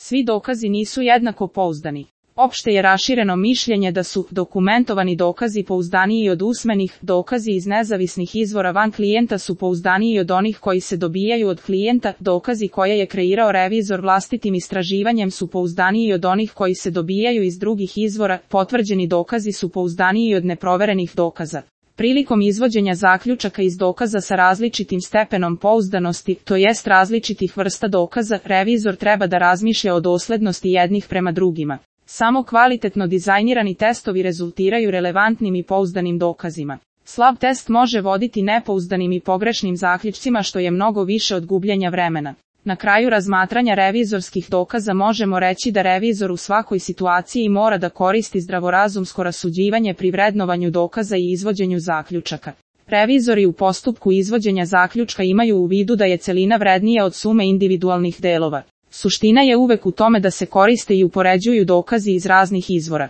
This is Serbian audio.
Svi dokazi nisu jednako pouzdani. Opšte je rašireno mišljenje da su dokumentovani dokazi pouzdaniji od usmenih, dokazi iz nezavisnih izvora van klijenta su pouzdaniji od onih koji se dobijaju od klijenta, dokazi koje je kreirao revizor vlastitim istraživanjem su pouzdaniji od onih koji se dobijaju iz drugih izvora, potvrđeni dokazi su pouzdaniji od neproverenih dokaza. Prilikom izvođenja zaključaka iz dokaza sa različitim stepenom pouzdanosti, to jest različitih vrsta dokaza, revizor treba da razmišlja o doslednosti jednih prema drugima. Samo kvalitetno dizajnirani testovi rezultiraju relevantnim i pouzdanim dokazima. Slab test može voditi nepouzdanim i pogrešnim zaključcima što je mnogo više od gubljenja vremena. Na kraju razmatranja revizorskih dokaza možemo reći da revizor u svakoj situaciji mora da koristi zdravorazumsko rasuđivanje pri vrednovanju dokaza i izvođenju zaključaka. Revizori u postupku izvođenja zaključka imaju u vidu da je celina vrednija od sume individualnih delova. Suština je uvek u tome da se koriste i upoređuju dokazi iz raznih izvora.